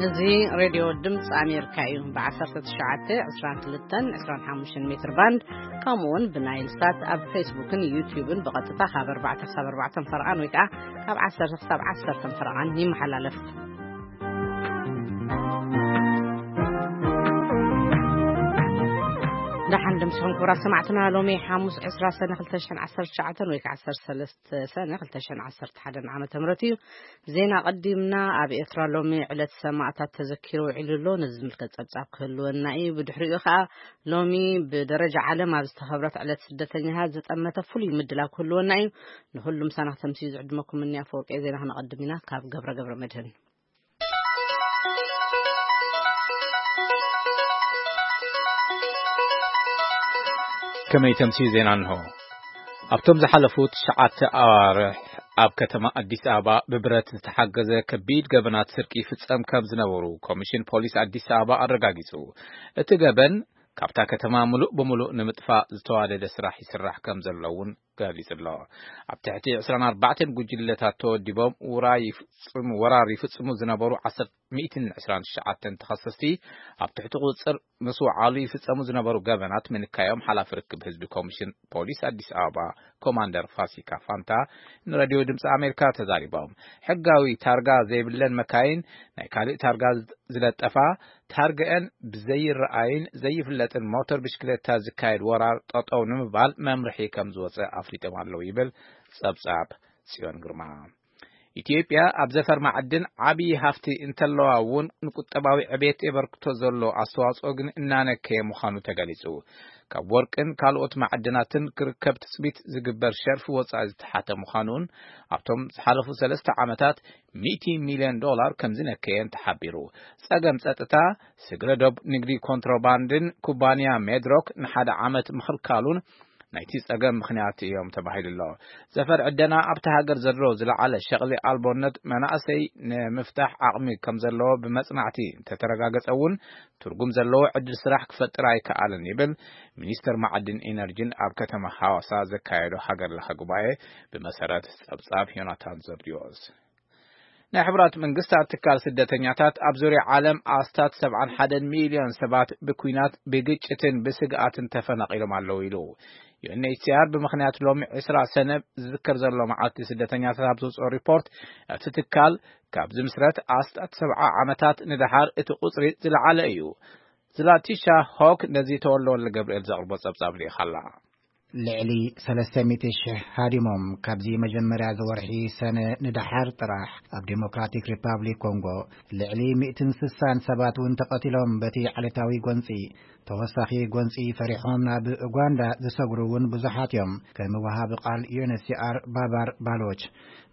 እዚ ሬድዮ ድምፂ ኣሜሪካ እዩ። ብ1922-25 ሜትር ባንድ፣ ከምኡ እውን ብናይል ሳት ኣብ ፌስቡክን ዩቲዩብን ብቐጥታ ካብ ኣርባዕተ ክሳብ ኣርባዕተ ፈርቓን ወይ ከዓ ካብ ዓሰርተ ክሳብ ዓሰርተ ፈርቓን ይመሓላለፍ። ደሓን ድምፅኹም ክቡራት ሰማዕትና። ሎሚ ሓሙስ ዕስራ ሰነ ክልተ ሽሕን ዓሰርተ ትሽዓተን ወይ ከዓ ዓሰርተ ሰለስተ ሰነ ክልተ ሽሕን ዓሰርተ ሓደን ዓመተ ምህረት እዩ። ዜና ቀዲምና። ኣብ ኤርትራ ሎሚ ዕለት ሰማእታት ተዘኪሩ ውዒሉ ኣሎ። ነዚ ዝምልከት ጸብጻብ ክህልወና እዩ። ብድሕሪኡ ከኣ ሎሚ ብደረጃ ዓለም ኣብ ዝተኸብረት ዕለት ስደተኛታት ዝጠመተ ፍሉይ ምድላው ክህልወና እዩ። ንኹሉ ምሳና ክተምስዩ ዝዕድመኩም እኒ ኣፈወርቂ ዜና ክነቐድም ኢና። ካብ ገብረ ገብረ መድህን። ከመይ ተምስዩ ዜና እንሆ። ኣብቶም ዝሓለፉ ትሽዓተ ኣዋርሕ ኣብ ከተማ ኣዲስ ኣበባ ብብረት ዝተሓገዘ ከቢድ ገበናት ስርቂ ይፍጸም ከም ዝነበሩ ኮሚሽን ፖሊስ ኣዲስ ኣበባ ኣረጋጊጹ። እቲ ገበን ካብታ ከተማ ምሉእ ብምሉእ ንምጥፋእ ዝተዋደደ ስራሕ ይስራሕ ከም ዘሎ እውን ገሊጹ ኣሎ። ኣብ ትሕቲ ዕስራን ኣርባዕተን ጉጅለታት ተወዲቦም ውራ ይፍጽሙ፣ ወራር ይፍጽሙ ዝነበሩ ዓሰርተ፣ ሚእትን ዕስራን ትሽዓተን ተኸሰስቲ ኣብ ትሕቲ ቁጽጽር ምስ ወዓሉ ይፍጸሙ ዝነበሩ ገበናት ምንካዮም ሓላፊ ርክብ ህዝቢ ኮሚሽን ፖሊስ ኣዲስ ኣበባ ኮማንደር ፋሲካ ፋንታ ንሬድዮ ድምፂ ኣሜሪካ ተዛሪቦም። ሕጋዊ ታርጋ ዘይብለን መካይን፣ ናይ ካልእ ታርጋ ዝለጠፋ፣ ታርገአን ብዘይረኣይን ዘይፍለጥን ሞተር ብሽክሌታ ዝካየድ ወራር ጠጠው ንምባል መምርሒ ከም ዝወፀ ኣፍሊጦም ኣለዉ ይብል ጸብጻብ ጽዮን ግርማ። ኢትዮጵያ ኣብ ዘፈር ማዕድን ዓብዪ ሃፍቲ እንተለዋ እውን ንቁጠባዊ ዕቤት የበርክቶ ዘሎ ኣስተዋፅኦ ግን እናነከየ ምዃኑ ተገሊጹ። ካብ ወርቅን ካልኦት ማዕድናትን ክርከብ ትጽቢት ዝግበር ሸርፊ ወጻኢ ዝተሓተ ምዃኑን ኣብቶም ዝሓለፉ ሰለስተ ዓመታት ሚእቲ ሚልዮን ዶላር ከም ዝነከየን ተሓቢሩ። ጸገም ጸጥታ፣ ስግረ ዶብ ንግዲ ኮንትሮባንድን ኩባንያ ሜድሮክ ንሓደ ዓመት ምኽልካሉን ናይቲ ጸገም ምኽንያት እዮም ተባሂሉ ኣሎ። ዘፈር ዕደና ኣብቲ ሃገር ዘሎ ዝለዓለ ሸቕሊ ኣልቦነት መናእሰይ ንምፍታሕ ዓቕሚ ከም ዘለዎ ብመጽናዕቲ እንተተረጋገጸ እውን ትርጉም ዘለዎ ዕድል ስራሕ ክፈጥር ኣይከኣልን ይብል ሚኒስተር ማዕድን ኢነርጂን ኣብ ከተማ ሃዋሳ ዘካየዶ ሃገር ለኸ ጉባኤ ብመሰረት ጸብጻብ ዮናታን ዘርዲዮስ። ናይ ሕቡራት መንግስታት ትካል ስደተኛታት ኣብ ዙርያ ዓለም ኣስታት ሰብዓን ሓደን ሚልዮን ሰባት ብኲናት፣ ብግጭትን ብስግኣትን ተፈናቒሎም ኣለዉ ኢሉ። ዩ ኤን ኤች ሲ ኣር ብምኽንያት ሎሚ ዕስራ ሰነ ዝዝከር ዘሎ መዓልቲ ስደተኛታት ኣብ ዘውፅኦ ሪፖርት፣ እቲ ትካል ካብ ዝምስረት ኣስታት ሰብዓ ዓመታት ንደሓር እቲ ቁፅሪ ዝለዓለ እዩ። ዝላቲሻ ሆክ ነዚ ተወልደ ወልደ ገብርኤል ዘቕርቦ ጸብጻብ ልኢኻ ኣላ። ልዕሊ ሰለስተ ሚእቲ ሽሕ ሃዲሞም ካብዚ መጀመርያ ዝወርሒ ሰነ ንደሓር ጥራሕ ኣብ ዴሞክራቲክ ሪፓብሊክ ኮንጎ ልዕሊ ሚእትን ስሳን ሰባት እውን ተቐቲሎም በቲ ዓሌታዊ ጎንጺ። ተወሳኺ ጎንጺ ፈሪሖም ናብ ኡጋንዳ ዝሰግሩ እውን ብዙሓት እዮም። ከም ወሃቢ ቃል ዩ ኤን ኤች ሲ ኣር ባባር ባሎች፣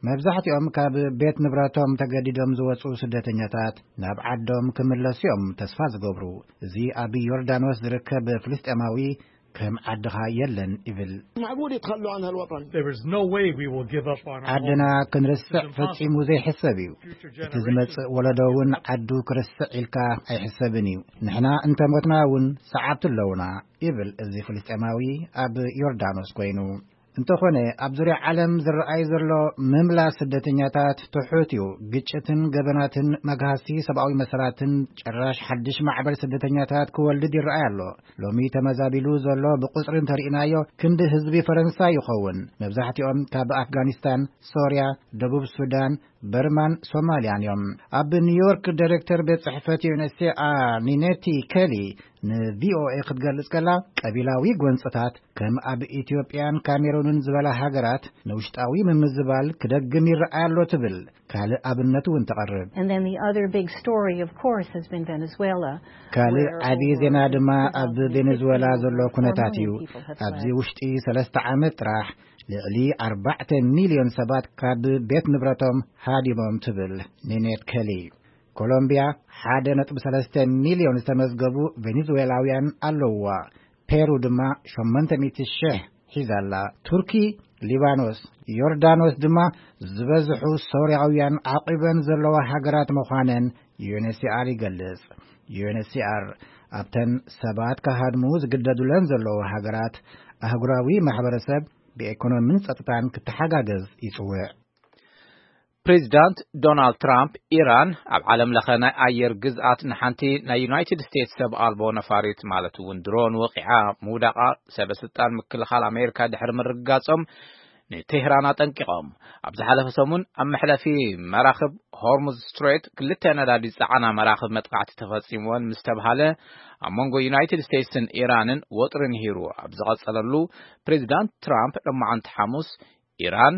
መብዛሕትኦም ካብ ቤት ንብረቶም ተገዲዶም ዝወጹ ስደተኛታት ናብ ዓዶም ክምለሱ እዮም ተስፋ ዝገብሩ። እዚ ኣብ ዮርዳኖስ ዝርከብ ፍልስጤማዊ ከም ዓድኻ የለን ይብል። معقول يتخلوا عن هالوطن؟ There is no way we will give up on our ዓድና home. ክንርስዕ ፈጺሙ ዘይሕሰብ እዩ። እቲ ዝመጽእ ወለዶ እውን ዓዱ ክርስዕ ኢልካ ኣይሕሰብን እዩ። ንሕና እንተሞትና እውን ሰዓብቲ ኣለውና ይብል እዚ ፍልስጤማዊ ኣብ ዮርዳኖስ ኮይኑ። እንተኾነ ኣብ ዙርያ ዓለም ዝረኣይ ዘሎ ምምላስ ስደተኛታት ትሑት እዩ። ግጭትን ገበናትን መግሃስቲ ሰብኣዊ መሰላትን ጭራሽ ሓድሽ ማዕበል ስደተኛታት ክወልድ ይረኣይ ኣሎ። ሎሚ ተመዛቢሉ ዘሎ ብቁጽሪ እንተርኢናዮ ክንዲ ህዝቢ ፈረንሳ ይኸውን። መብዛሕትኦም ካብ ኣፍጋኒስታን፣ ሶርያ፣ ደቡብ ሱዳን፣ በርማን ሶማልያን እዮም። ኣብ ኒውዮርክ ዳይሬክተር ቤት ጽሕፈት ዩ ኤን ኤች ሲ ኣር ኒኔቲ ከሊ ን ቪ ኦ ኤ ክትገልጽ ከላ፣ ቀቢላዊ ጎንጽታት ከም ኣብ ኢትዮጵያን ካሜሩንን ዝበላ ሃገራት ንውሽጣዊ ምምዝባል ክደግም ይረኣይ ኣሎ ትብል። ካልእ ኣብነት እውን ተቐርብ። And then the other big story, of course, has been Venezuela, ካልእ ዓቢ ዜና ድማ ኣብ ቬኔዙዌላ ዘሎ ኩነታት እዩ። ኣብዚ ውሽጢ ሰለስተ ዓመት ጥራሕ ልዕሊ ኣርባዕተ ሚልዮን ሰባት ካብ ቤት ንብረቶም ሃዲሞም ትብል ኒኔት ከሊ። ኮሎምቢያ ሓደ ነጥቢ ሰለስተ ሚልዮን ዝተመዝገቡ ቬኔዙዌላውያን ኣለውዋ። ፔሩ ድማ ሸሞንተ ሚእቲ ሽሕ ሒዛ ኣላ። ቱርኪ፣ ሊባኖስ፣ ዮርዳኖስ ድማ ዝበዝሑ ሶርያውያን ዓቂበን ዘለዋ ሃገራት ምዃነን ዩ ኤን ኤች ሲ ኣር ይገልጽ። ዩ ኤን ኤች ሲ ኣር ኣብተን ሰባት ክሃድሙ ዝግደዱለን ዘለዉ ሃገራት ኣህጉራዊ ማሕበረሰብ ብኤኮኖሚን ጸጥታን ክተሓጋገዝ ይጽውዕ። ፕሬዚዳንት ዶናልድ ትራምፕ፣ ኢራን ኣብ ዓለም ለኸ ናይ ኣየር ግዝኣት ንሓንቲ ናይ ዩናይትድ ስቴትስ ሰብ ኣልቦ ነፋሪት፣ ማለት እውን ድሮን፣ ወቂዓ ምውዳቓ፣ ሰበ ስልጣን ምክልኻል ኣሜሪካ ድሕሪ ምርግጋጾም፣ ንቴህራን ኣጠንቂቖም። ኣብ ዝሓለፈ ሰሙን ኣብ መሕለፊ መራኽብ ሆርሙዝ ስትሬት ክልተ ነዳዲ ዝጸዓና መራኽብ መጥቃዕቲ ተፈጺምወን ምስ ተብሃለ፣ ኣብ መንጎ ዩናይትድ ስቴትስን ኢራንን ወጥሪ ንሂሩ ኣብ ዝቐጸለሉ፣ ፕሬዚዳንት ትራምፕ ሎማዓንቲ ሓሙስ፣ ኢራን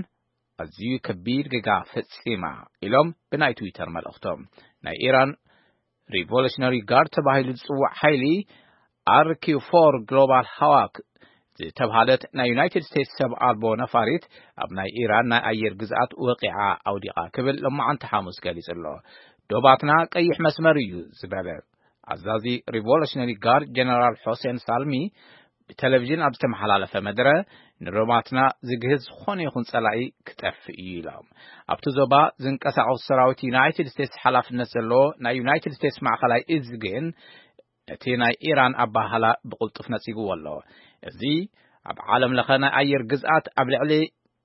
ኣዝዩ ከቢድ ጌጋ ፈጺማ፣ ኢሎም ብናይ ትዊተር መልእኽቶም። ናይ ኢራን ሪቮሉሽነሪ ጋርድ ተባሂሉ ዝጽዋዕ ሓይሊ፣ ኣር ኪው ፎር ግሎባል ሃዋክ ዝተብሃለት ናይ ዩናይትድ ስቴትስ ሰብ ኣልቦ ነፋሪት፣ ኣብ ናይ ኢራን ናይ ኣየር ግዝኣት ወቂዓ ኣውዲቓ ክብል ሎማዓንቲ ሓሙስ ገሊጹ ኣሎ። ዶባትና ቀይሕ መስመር እዩ ዝበለ ኣዛዚ ሪቮሉሽነሪ ጋርድ ጀነራል ሆሴን ሳልሚ ብቴሌቪዥን ኣብ ዝተመሓላለፈ መደረ፣ ንዶባትና ዝግህስ ዝኾነ ይኹን ጸላኢ ክጠፍእ እዩ ኢሎም። ኣብቲ ዞባ ዝንቀሳቐሱ ሰራዊት ዩናይትድ ስቴትስ ሓላፍነት ዘለዎ ናይ ዩናይትድ ስቴትስ ማእኸላይ እዝ ግን ነቲ ናይ ኢራን ኣባህላ ብቕልጡፍ ነጺግዎ ኣሎ። እዚ ኣብ ዓለም ለኸ ናይ ኣየር ግዝኣት ኣብ ልዕሊ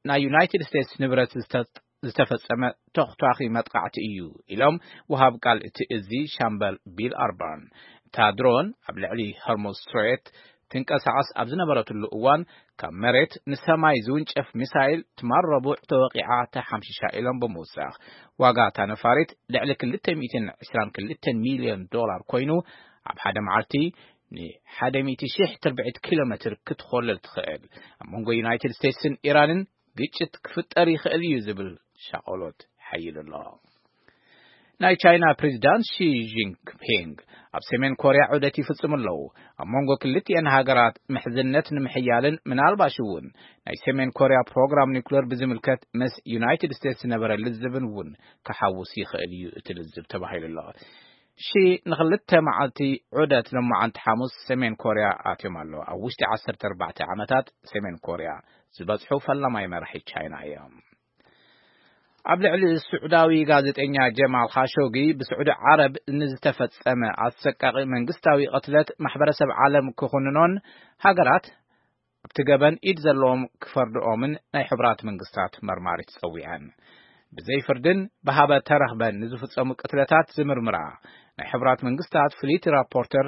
ናይ ዩናይትድ ስቴትስ ንብረት ዝተ-፣ ዝተፈጸመ ተኽቷኺ መጥቃዕቲ እዩ፣ ኢሎም ወሃብ ቃል እቲ እዚ ሻምበል ቢል ኣርባን። እታ ድሮን ኣብ ልዕሊ ሆርሙዝ ስትሬት ትንቀሳቐስ ኣብ ዝነበረትሉ እዋን፣ ካብ መሬት ንሰማይ ዝውንጨፍ ሚሳይል ትማል ረቡዕ ተወቂዓ ተሓምሺሻ፣ ኢሎም ብምውሳኽ፣ ዋጋ እታ ነፋሪት ልዕሊ ክልተ ሚእትን ዕስራን ክልተን ሚልዮን ዶላር ኮይኑ፣ ኣብ ሓደ መዓልቲ ንሓደ ሚእቲ ሺሕ ትርብዒት ኪሎ ሜትር ክትኾልል ትኽእል። ኣብ መንጎ ዩናይትድ ስቴትስን ኢራንን ግጭት ክፍጠር ይኽእል እዩ ዝብል ሻቐሎት ሓይሉ ኣሎ። ናይ ቻይና ፕሬዚዳንት ሺ ጂንፒንግ ኣብ ሰሜን ኮርያ ዑደት ይፍጽሙ ኣለዉ። ኣብ መንጎ ክልቲኤን ሃገራት ምሕዝነት ንምሕያልን ምናልባሽ እውን ናይ ሰሜን ኮርያ ፕሮግራም ኒውክሌር ብዝምልከት ምስ ዩናይትድ ስቴትስ ዝነበረ ልዝብን እውን ክሓውስ ይኽእል እዩ እቲ ልዝብ ተባሂሉ ኣሎ። ሺ ንኽልተ መዓልቲ ዑደት ሎማዓንቲ ሓሙስ ሰሜን ኮርያ ኣትዮም ኣለዉ። ኣብ ውሽጢ ዓሰርተ ኣርባዕተ ዓመታት ሰሜን ኮርያ ዝበጽሑ ፈላማይ መራሒ ቻይና እዮም። ኣብ ልዕሊ ስዑዳዊ ጋዜጠኛ ጀማል ኻሾጊ ብስዑዲ ዓረብ ንዝተፈጸመ ኣሰቃቂ መንግስታዊ ቅትለት ማሕበረሰብ ዓለም ክኹንኖን ሃገራት ኣብቲ ገበን ኢድ ዘለዎም ክፈርድኦምን ናይ ሕቡራት መንግስታት መርማሪት ጸዊዐን። ብዘይ ፍርድን ብሃበ ተረኽበን ንዝፍጸሙ ቅትለታት ዝምርምራ ናይ ሕቡራት መንግስታት ፍልይቲ ራፖርተር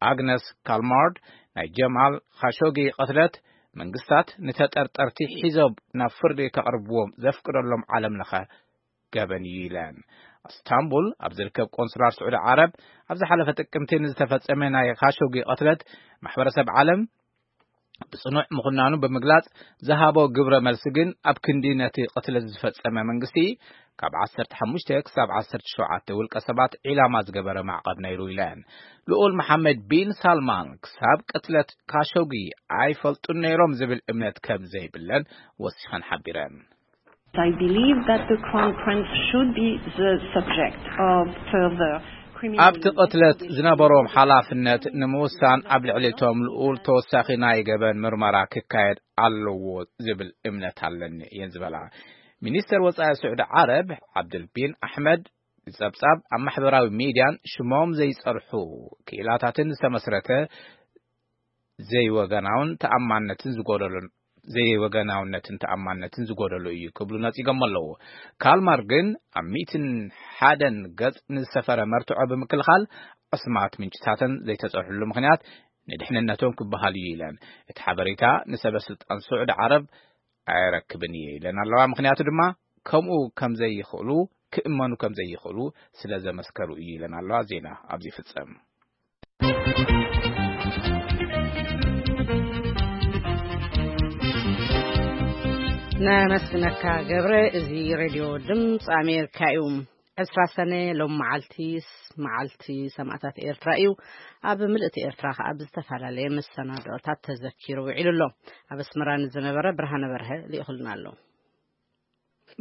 ኣግነስ ካልማርድ፣ ናይ ጀማል ኻሾጊ ቅትለት መንግስታት ንተጠርጠርቲ ሒዞም ናብ ፍርዲ ከቕርብዎም ዘፍቅደሎም ዓለም ለኸ ገበን እዩ ኢለን። ኣስታንቡል ኣብ ዝርከብ ቆንስላር ስዑዲ ዓረብ ኣብ ዝሓለፈ ጥቅምቲ ንዝተፈጸመ ናይ ኻሾጊ ቅትለት ማሕበረሰብ ዓለም ብጽኑዕ ምኹናኑ ብምግላጽ፣ ዝሃቦ ግብረ መልሲ ግን ኣብ ክንዲ ነቲ ቅትለት ዝፈጸመ መንግስቲ፣ ካብ ዓሰርተ ሓሙሽተ ክሳብ ዓሰርተ ሸውዓተ ውልቀ ሰባት ዒላማ ዝገበረ ማዕቐብ ነይሩ ኢለን። ልኡል መሓመድ ቢን ሳልማን ክሳብ ቅትለት ካሾጊ ኣይፈልጡን ነይሮም ዝብል እምነት ከም ዘይብለን ወሲኸን ሓቢረን። I believe that the Crown Prince should be the subject of further criminal ኣብቲ ቅትለት ዝነበሮም ሓላፍነት ንምውሳን ኣብ ልዕሊ እቶም ልኡል ተወሳኺ ናይ ገበን ምርመራ ክካየድ ኣለዎ ዝብል እምነት ኣለኒ እየን ዝበላ። ሚኒስተር ወጻኢ ስዑዲ ዓረብ ዓብድል ቢን ኣሕመድ ብጸብጻብ ኣብ ማሕበራዊ ሚድያን ሽሞም ዘይጸርሑ ክኢላታትን ዝተመስረተ ዘይወገናውን ተኣማንነትን ዝጎደሎን ዘይወገናውነትን ተኣማንነትን ዝጎደሎ እዩ ክብሉ ነጺጎም ኣለዉ። ካልማር ግን ኣብ ሚእትን ሓደን ገጽ ንዝሰፈረ መርትዖ ብምክልኻል፣ ኣስማት ምንጭታተን ዘይተጸርሕሉ ምኽንያት ንድሕንነቶም ክበሃል እዩ ኢለን። እቲ ሓበሬታ ንሰበ ስልጣን ስዑዲ ዓረብ ኣየረክብን እየ ኢለን ኣለዋ። ምኽንያቱ ድማ ከምኡ ከም ዘይኽእሉ፣ ክእመኑ ከም ዘይኽእሉ ስለ ዘመስከሩ እዩ ኢለን ኣለዋ። ዜና ኣብዚ ይፍጸም። ነመስግነካ ገብረ። እዚ ሬድዮ ድምፂ ኣሜሪካ እዩ። ዕስራ ሰነ ሎም መዓልቲ ስ-፣ መዓልቲ ሰማእታት ኤርትራ እዩ። ኣብ ምልእቲ ኤርትራ ከኣ ብዝተፈላለየ መሰናድኦታት ተዘኪሩ ውዒሉ ኣሎ። ኣብ ኣስመራ ንዝነበረ ብርሃነ በርሀ ልኢኹልና ኣሎ።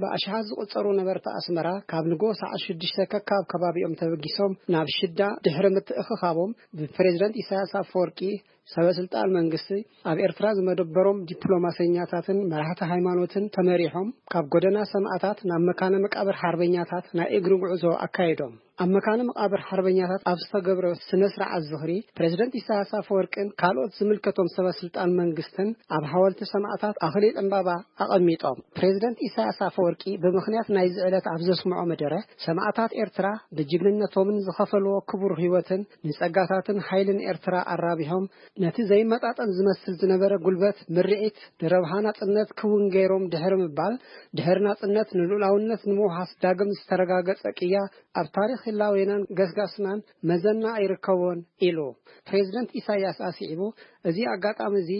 ብኣሽሓት ዝቑጸሩ ነበርቲ ኣስመራ ካብ ንግሆ ሰዓት ሽዱሽተ ከካብ ከባቢኦም ተበጊሶም ናብ ሽዳ ድሕሪ ምትእኽኻቦም ብፕሬዝደንት ኢሳያስ ኣፈወርቂ ሰበ ስልጣን መንግስቲ ኣብ ኤርትራ ዝመደበሮም ዲፕሎማሰኛታትን መራሕቲ ሃይማኖትን ተመሪሖም ካብ ጎደና ሰማእታት ናብ መካነ መቃብር ሓርበኛታት ናይ እግሪ ጉዕዞ ኣካይዶም። ኣብ መካነ መቃብር ሓርበኛታት ኣብ ዝተገብረ ስነ ስርዓት ዝኽሪ ፕሬዝደንት ኢሳያስ ኣፈወርቅን ካልኦት ዝምልከቶም ሰበ ስልጣን መንግስትን ኣብ ሓወልቲ ሰማእታት ኣኽሊል ዕምባባ ኣቐሚጦም። ፕሬዝደንት ኢሳያስ ኣፈወርቂ ብምኽንያት ናይዚ ዕለት ኣብ ዘስምዖ መደረ ሰማእታት ኤርትራ ብጅግንነቶምን ዝኸፈልዎ ክቡር ህይወትን ንጸጋታትን ሓይልን ኤርትራ ኣራቢሖም ነቲ ዘይመጣጠን ዝመስል ዝነበረ ጉልበት ምርዒት ንረብሓ ናጽነት ክውን ገይሮም ድሕሪ ምባል ድሕሪ ናጽነት ንልኡላውነት ንምውሓስ ዳግም ዝተረጋገጸ ቅያ ኣብ ታሪኽ ህላዌናን ገስጋስናን መዘና ኣይርከቦን ኢሉ። ፕሬዝደንት ኢሳያስ ኣስዒቡ፣ እዚ ኣጋጣሚ እዚ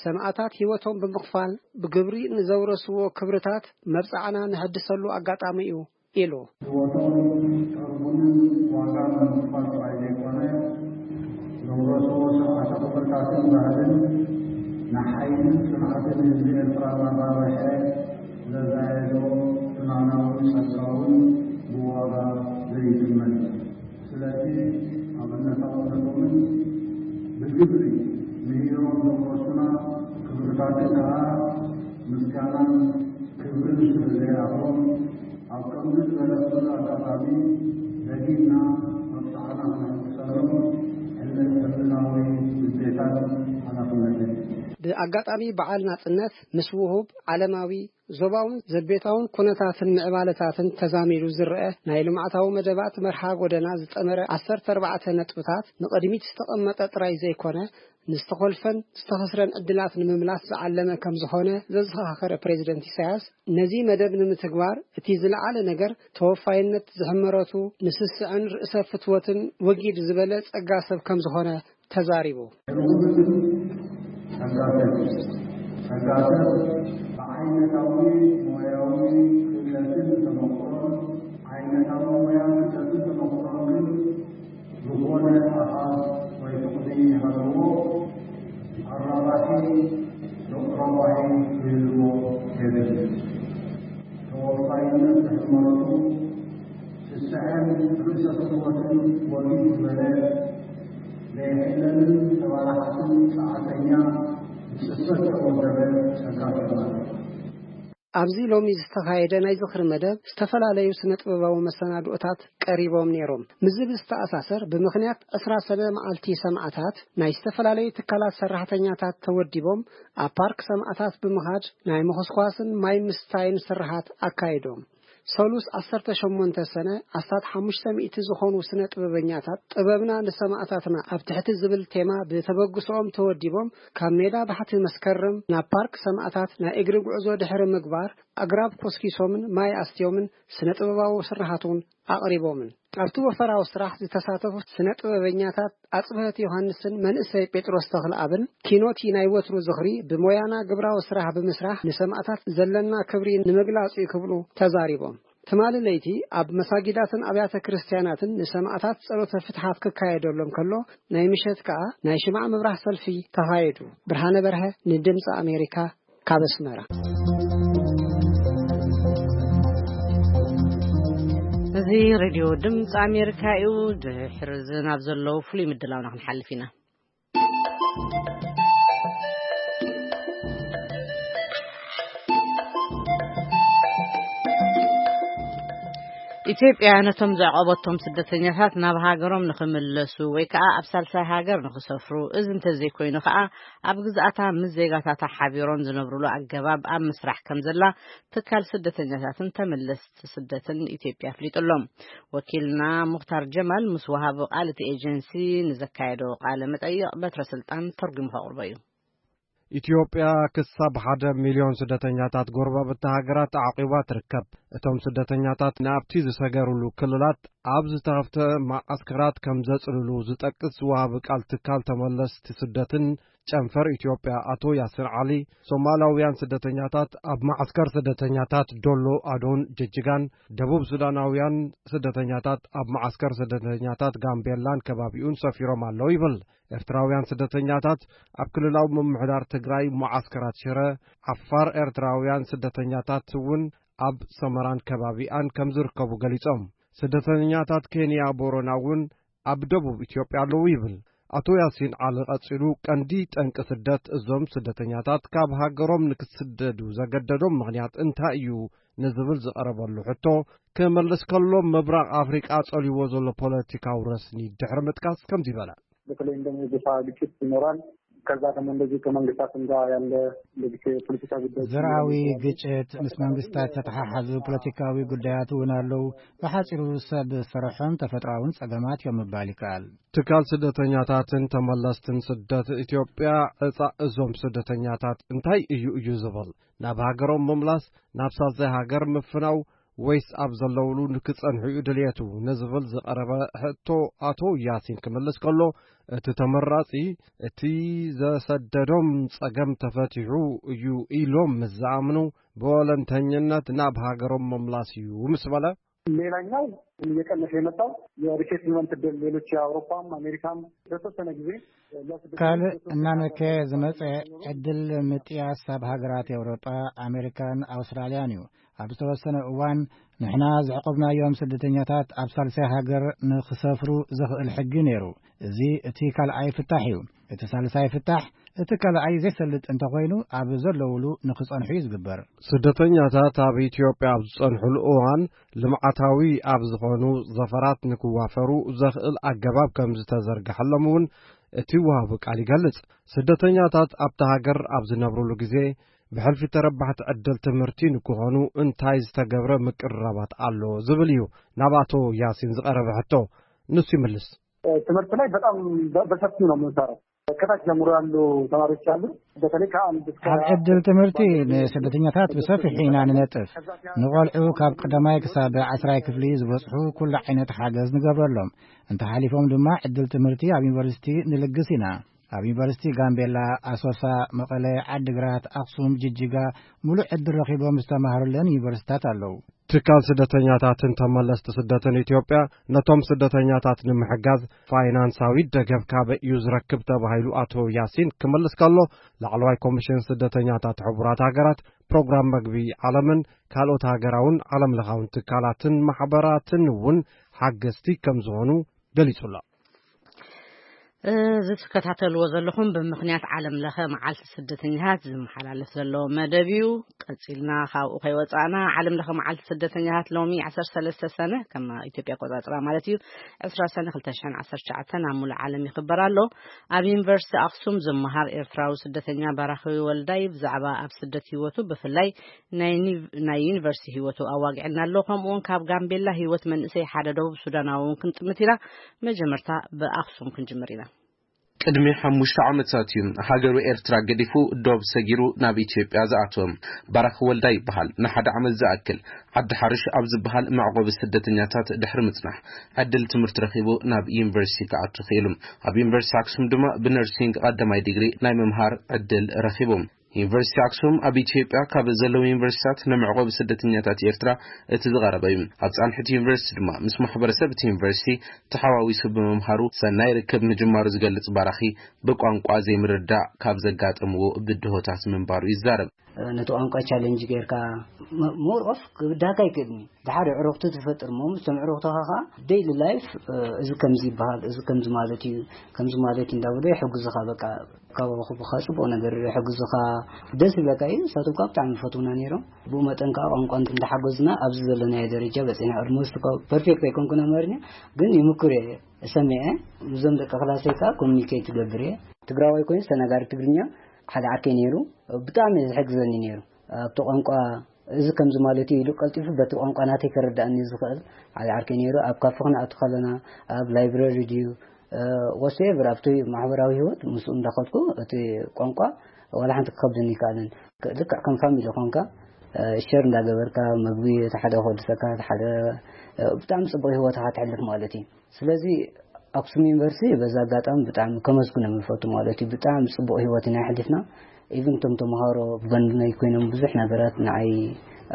ሰማእታት ህይወቶም ብምኽፋል ብግብሪ ንዘውረስዎ ክብርታት መብጻዕና ንሕድሰሉ ኣጋጣሚ እዩ ኢሉ። ህይወቶም ጠርቡንን ዋጋ ብምኽፋል ጥራይ ዘይኮነ፣ ዘውረስዎ ስርዓተ ክብርታትን ባህልን ንሓይልን ጽንዓትን ህዝቢ ኤርትራ እናራብሐ ዘዛየዶ እማናውን ጸጋውን ብዋጋ ዘይትመን። ስለዚ ኣብነታውነቶምን ብግብሪ ምሂሮም ዘውረሱና ክብርታትን ከኣ ምስጋናን ክብርን ስለ ዘይኣኽሎም፣ ኣብ ከምዚ ዝበለ ክቡር ኣጋጣሚ ደጊምና መብጽዓና ክነሕድሰሎም ሕለ-፣ ሕልናዊ ግዴታን ሓላፍነትን። ብኣጋጣሚ በዓል ናጽነት ምስ ውሁብ ዓለማዊ ዞባውን ዘቤታውን ኩነታትን ምዕባለታትን ተዛሚዱ ዝረአ ናይ ልምዓታዊ መደባት መርሓ ጎደና ዝጠመረ ዓሰርተ ኣርባዕተ ነጥብታት ንቕድሚት ዝተቐመጠ ጥራይ ዘይኮነ፣ ንዝተኾልፈን ዝተኸስረን ዕድላት ንምምላስ ዝዓለመ ከም ዝኾነ ዘዘኻኸረ ፕሬዝደንት ኢሳያስ፣ ነዚ መደብ ንምትግባር እቲ ዝለዓለ ነገር ተወፋይነት ዝሕመረቱ ንስስዐን ርእሰ ፍትወትን ወጊድ ዝበለ ጸጋ ሰብ ከም ዝኾነ ተዛሪቡ። ርጉምን ጸጋ ሰብ፣ ጸጋ ሰብ ብዓይነታዊ ሞያዊ ክእለትን ተመክሮን፣ ዓይነታዊ ሞያ ክእለትን ተመክሮን ግን ዝኾነ ኣሃዝ ወይ ፍቕዲ ይሃልዎ፣ ኣራባሒ ዶቕ ረባሒ ክህልዎ የብሉን። ተወፋይነት ዝሕመረቱ ስስዐን ርእሰ ፍትወትን ወጊድ ዝበለ ዘይሕለልን ተባላሓትን ጸዓተኛ ብጽፈት ተወደበ ጸጋ ተባለ። ኣብዚ ሎሚ ዝተኻየደ ናይ ዝኽሪ መደብ ዝተፈላለዩ ስነ ጥበባዊ መሰናድኦታት ቀሪቦም ነይሮም። ምስዚ ብዝተኣሳሰር ብምኽንያት ዕስራ ሰነ መዓልቲ ሰማእታት ናይ ዝተፈላለዩ ትካላት ሰራሕተኛታት ተወዲቦም ኣብ ፓርክ ሰማእታት ብምኻድ ናይ ምኹስኳስን ማይ ምስታይን ስርሓት ኣካይዶም። ሰሉስ ዓሰርተ ሸሞንተ ሰነ ኣስታት ሓሙሽተ ሚእቲ ዝኾኑ ስነ ጥበበኛታት ጥበብና ንሰማእታትና ኣብ ትሕቲ ዝብል ቴማ ብተበግሶኦም ተወዲቦም ካብ ሜዳ ባሕቲ መስከረም ናብ ፓርክ ሰማእታት ናይ እግሪ ጉዕዞ ድሕሪ ምግባር ኣግራብ ኮስኪሶምን ማይ ኣስትዮምን ስነ ጥበባዊ ስርሓት እውን ኣቕሪቦምን። ኣብቲ ወፈራዊ ስራሕ ዝተሳተፉ ስነ ጥበበኛታት ኣጽብሀት ዮሃንስን መንእሰይ ጴጥሮስ ተኽለኣብን ኪኖቲ ናይ ወትሩ ዝኽሪ ብሞያና ግብራዊ ስራሕ ብምስራሕ ንሰማእታት ዘለና ክብሪ ንምግላጽ እዩ ክብሉ ተዛሪቦም። ትማሊ ለይቲ ኣብ መሳጊዳትን ኣብያተ ክርስቲያናትን ንሰማእታት ጸሎተ ፍትሓት ክካየደሎም ከሎ ናይ ምሸት ከኣ ናይ ሽማዕ ምብራህ ሰልፊ ተኻየዱ። ብርሃነ በርሀ ንድምፂ ኣሜሪካ ካብ ኣስመራ። እዚ ሬድዮ ድምፂ ኣሜሪካ እዩ። ድሕሪ እዚ ናብ ዘለዉ ፍሉይ ምድላውና ክንሓልፍ ኢና። ኢትዮጵያ ነቶም ዘዕቆበቶም ስደተኛታት ናብ ሃገሮም ንኽምለሱ ወይ ከኣ ኣብ ሳልሳይ ሃገር ንኽሰፍሩ፣ እዚ እንተዘይኮይኑ ከኣ ኣብ ግዝኣታ ምስ ዜጋታታ ሓቢሮም ዝነብሩሉ ኣገባብ ኣብ ምስራሕ ከም ዘላ ትካል ስደተኛታትን ተመለስቲ ስደትን ኢትዮጵያ ኣፍሊጡ ኣሎ። ወኪልና ሙኽታር ጀማል ምስ ወሃቢ ቃል እቲ ኤጀንሲ ንዘካየዶ ቃለ መጠይቕ በትረ ስልጣን ተርጉሙ ከቕርቦ እዩ። ኢትዮጵያ ክሳብ ሓደ ሚልዮን ስደተኛታት ጎረባብቲ ሃገራት ኣዕቂባ ትርከብ። እቶም ስደተኛታት ናብቲ ዝሰገሩሉ ክልላት ኣብ ዝተኸፍተ መዓስከራት ከም ዘጽልሉ ዝጠቅስ ወሃቢ ቃል ትካል ተመለስቲ ስደትን ጨንፈር ኢትዮጵያ ኣቶ ያሲር ዓሊ፣ ሶማላውያን ስደተኛታት ኣብ መዓስከር ስደተኛታት ዶሎ ኣዶን ጅጅጋን፣ ደቡብ ሱዳናውያን ስደተኛታት ኣብ መዓስከር ስደተኛታት ጋምቤላን ከባቢኡን ሰፊሮም ኣለዉ ይብል። ኤርትራውያን ስደተኛታት ኣብ ክልላዊ ምምሕዳር ትግራይ መዓስከራት ሽረ፣ ዓፋር ኤርትራውያን ስደተኛታት እውን ኣብ ሰመራን ከባቢኣን ከም ዝርከቡ ገሊጾም። ስደተኛታት ኬንያ ቦረና እውን ኣብ ደቡብ ኢትዮጵያ ኣለዉ ይብል። ኣቶ ያሲን ዓሊ ቀጺሉ፣ ቀንዲ ጠንቂ ስደት እዞም ስደተኛታት ካብ ሃገሮም ንክስደዱ ዘገደዶም ምኽንያት እንታይ እዩ ንዝብል ዝቐረበሉ ሕቶ ክመልስ ከሎ፣ ምብራቕ ኣፍሪቃ ጸልይዎ ዘሎ ፖለቲካዊ ረስኒ ድሕሪ ምጥቃስ ከምዚ በለ። በተለይ እንደዚህ የጎሳ ግጭት ይኖራል። ከዛ ደግሞ እንደዚህ ከመንግስታትም ጋር ያለ እንደዚህ የፖለቲካ ጉዳይ ዘርኣዊ ግጭት ምስ መንግስታት ዝተተሓሓዙ ፖለቲካዊ ጉዳያት እውን ኣለዉ። ብሓፂሩ ሰብ ስርሖም ተፈጥሮኣውን ጸገማት እዮም ምባል ይከኣል። ትካል ስደተኛታትን ተመለስትን ስደት ኢትዮጵያ ዕፃ እዞም ስደተኛታት እንታይ እዩ እዩ ዝብል፣ ናብ ሃገሮም ምምላስ፣ ናብ ሳልሳይ ሃገር ምፍናው፣ ወይስ ኣብ ዘለውሉ ንክጸንሑ እዩ ድልየቱ ንዝብል ዝቐረበ ሕቶ ኣቶ ያሲን ክምልስ ከሎ፣ እቲ ተመራጺ እቲ ዘሰደዶም ጸገም ተፈቲሑ እዩ ኢሎም ምስ ዝኣምኑ ብወለንተኝነት ናብ ሃገሮም ምምላስ እዩ ምስ በለ፣ ሌላኛው እየቀነሰ የመጣው የሪሴትልመንት እድል ሌሎች የአውሮፓም አሜሪካም በተወሰነ ጊዜ ካልእ እናነከየ ዝመጸ ዕድል ምጥያስ ኣብ ሃገራት ኤውሮጳ፣ ኣሜሪካን ኣውስትራልያን እዩ። ኣብ ዝተወሰነ እዋን ንሕና ዘዕቆብናዮም ስደተኛታት ኣብ ሳልሳይ ሃገር ንኽሰፍሩ ዘኽእል ሕጊ ነይሩ። እዚ እቲ ካልኣይ ፍታሕ እዩ። እቲ ሳልሳይ ፍታሕ እቲ ካልኣይ ዘይሰልጥ እንተኾይኑ ኣብ ዘለውሉ ንኽጸንሑ እዩ ዝግበር። ስደተኛታት ኣብ ኢትዮጵያ ኣብ ዝጸንሑሉ እዋን ልምዓታዊ ኣብ ዝኾኑ ዘፈራት ንክዋፈሩ ዘኽእል ኣገባብ ከም ዝተዘርግሐሎም እውን እቲ ወሃቢ ቃል ይገልጽ። ስደተኛታት ኣብታ ሃገር ኣብ ዝነብሩሉ ግዜ ብሕልፊ ተረባሕቲ ዕድል ትምህርቲ ንክኾኑ እንታይ ዝተገብረ ምቅርራባት ኣሎ ዝብል እዩ ናብ ኣቶ ያሲን ዝቐረበ ሕቶ። ንሱ ይምልስ። ትምህርት ላይ በጣም በሰፊው ነው የምንሰራው። ከታች ጀምሮ ያሉ ተማሪዎች አሉ። በተለይ ከአንድ እስከ ኣብ ዕድል ትምህርቲ ንስደተኛታት ብሰፊሑ ኢና ንነጥፍ። ንቆልዑ ካብ ቀዳማይ ክሳብ ዓስራይ ክፍሊ ዝበጽሑ ኩሉ ዓይነት ሓገዝ ንገብረሎም። እንተሓሊፎም ድማ ዕድል ትምህርቲ ኣብ ዩኒቨርሲቲ ንልግስ ኢና። ኣብ ዩኒቨርሲቲ ጋምቤላ፣ ኣሶሳ፣ መቐለ፣ ዓዲግራት፣ ኣኽሱም፣ ጅጅጋ ሙሉእ ዕድል ረኺቦም ዝተማህሩለን ዩኒቨርሲታት ኣለዉ። ትካል ስደተኛታትን ተመለስቲ ስደትን ኢትዮጵያ ነቶም ስደተኛታት ንምሕጋዝ ፋይናንሳዊ ደገፍ ካበይ እዩ ዝረክብ ተባሂሉ ኣቶ ያሲን ክመልስ ከሎ፣ ላዕለዋይ ኮሚሽን ስደተኛታት ሕቡራት ሃገራት፣ ፕሮግራም መግቢ ዓለምን ካልኦት ሃገራውን ዓለም ለኻውን ትካላትን ማሕበራትን እውን ሓገዝቲ ከም ዝኾኑ ገሊጹ ኣሎ። እዚ ትከታተልዎ ዘለኹም ብምኽንያት ዓለም ለኸ መዓልቲ ስደተኛታት ዝመሓላለፍ ዘሎ መደብ እዩ። ቀጺልና ካብኡ ከይወጻእና፣ ዓለም ለኸ መዓልቲ ስደተኛታት ሎሚ ዓሰርተ ሰለስተ ሰነ፣ ከም ኢትዮጵያ ኣቆጻጽራ ማለት እዩ፣ ዕስራ ሰነ ክልተ ሽሕን ዓሰርተ ትሽዓተን ኣብ ሙሉእ ዓለም ይኽበር ኣሎ። ኣብ ዩኒቨርሲቲ ኣኽሱም ዝመሃር ኤርትራዊ ስደተኛ ባራኺ ወልዳይ ብዛዕባ ኣብ ስደት ህይወቱ ብፍላይ ናይ ዩኒቨርሲቲ ህይወቱ ኣዋጊዕና ኣሎ። ከምኡውን ካብ ጋምቤላ ህይወት መንእሰይ ሓደ ደቡብ ሱዳናዊ እውን ክንጥምት ኢና። መጀመርታ ብኣኽሱም ክንጅምር ኢና። ቅድሚ ሓሙሽተ ዓመታት እዩ ሃገሩ ኤርትራ ገዲፉ ዶብ ሰጊሩ ናብ ኢትዮጵያ ዝኣተወ። ባራኺ ወልዳ ይበሃል። ንሓደ ዓመት ዝኣክል ዓዲ ሓርሽ ኣብ ዝበሃል መዕቆቢ ስደተኛታት ድሕሪ ምጽናሕ ዕድል ትምህርቲ ረኺቡ ናብ ዩኒቨርሲቲ ክኣቱ ክኢሉ። ኣብ ዩኒቨርሲቲ ኣክሱም ድማ ብነርሲንግ ቀዳማይ ዲግሪ ናይ ምምሃር ዕድል ረኺቡ። ዩኒቨርሲቲ ኣክሱም ኣብ ኢትዮጵያ ካብ ዘለዉ ዩኒቨርሲታት ንመዕቆቢ ስደተኛታት ኤርትራ እቲ ዝቐረበ እዩ። ኣብ ጻንሒት ዩኒቨርሲቲ ድማ ምስ ማሕበረሰብ እቲ ዩኒቨርሲቲ ተሓዋዊሱ ብምምሃሩ ሰናይ ርክብ ምጅማሩ ዝገልጽ ባራኺ፣ ብቋንቋ ዘይምርዳእ ካብ ዘጋጠምዎ ብድሆታት ምንባሩ ይዛረብ። ነቲ ቋንቋ ቻለንጅ ጌርካ ሞር ኦፍ ክብዳካ ይክእልኒ። ድሓር ኣዕሩኽቲ ትፈጥር እሞ ምስቶም ኣዕሩኽትኻ ከዓ ዴይሊ ላይፍ እዚ ከምዚ ይበሃል፣ እዚ ከምዚ ማለት እዩ፣ ከምዚ ማለት እዩ እንዳበሉ ይሕግዙኻ። በቃ ካባኹ ብኻ ጽቡቕ ነገር ይሕግዙኻ። ደስ ይብለካ እዩ። ንሳቶም ከዓ ብጣዕሚ ይፈትውና ነይሮም። ብኡ መጠን ከዓ ቋንቋ እንዳሓገዙና ኣብዚ ዘለናዮ ደረጃ በፂሕና። ኦልሞስት እኳ ፐርፌክት ኣይኮንኩን ኣማርኛ፣ ግን ይምኩር እየ፣ እሰምዕ እየ። ምስዞም ደቂ ክላሰይ ከዓ ኮሚኒኬት ይገብር እየ። ትግራዋይ ኮይኑ ተናጋሪ ትግርኛ ሓደ ዓርከይ ነይሩ፣ ብጣዕሚ እዩ ዝሕግዘኒ ነይሩ። ኣብቲ ቋንቋ እዚ ከምዚ ማለት እዩ ኢሉ ቀልጢፉ በቲ ቋንቋ ናተይ ከረድኣኒ ዝኽእል ሓደ ዓርከይ ነይሩ። ኣብ ካፈ ክንኣቱ ከለና፣ ኣብ ላይብረሪ ድዩ፣ ወትስኤቨር ኣብቲ ማሕበራዊ ህይወት ምስኡ እንዳኸድኩ እቲ ቋንቋ ዋላ ሓንቲ ክኸብደኒ ኣይከኣለን። ልክዕ ከም ፋሚሊ ኮንካ ሸር እንዳገበርካ መግቢ እቲ ሓደ ከወድሰካ፣ እቲ ሓደ ብጣዕሚ ጽቡቕ ህይወትኻ ተሕልፍ ማለት እዩ። ስለዚ ኣክሱም ዩኒቨርሲቲ በዚ ኣጋጣሚ ብጣዕሚ ከመስግኖም ይፈቱ ማለት እዩ። ብጣዕሚ ጽቡቕ ህይወት ኢና ኣሕሊፍና። ኢቭን እቶም ተምሃሮ ብጎኒ ኮይኖም ብዙሕ ነገራት ንዓይ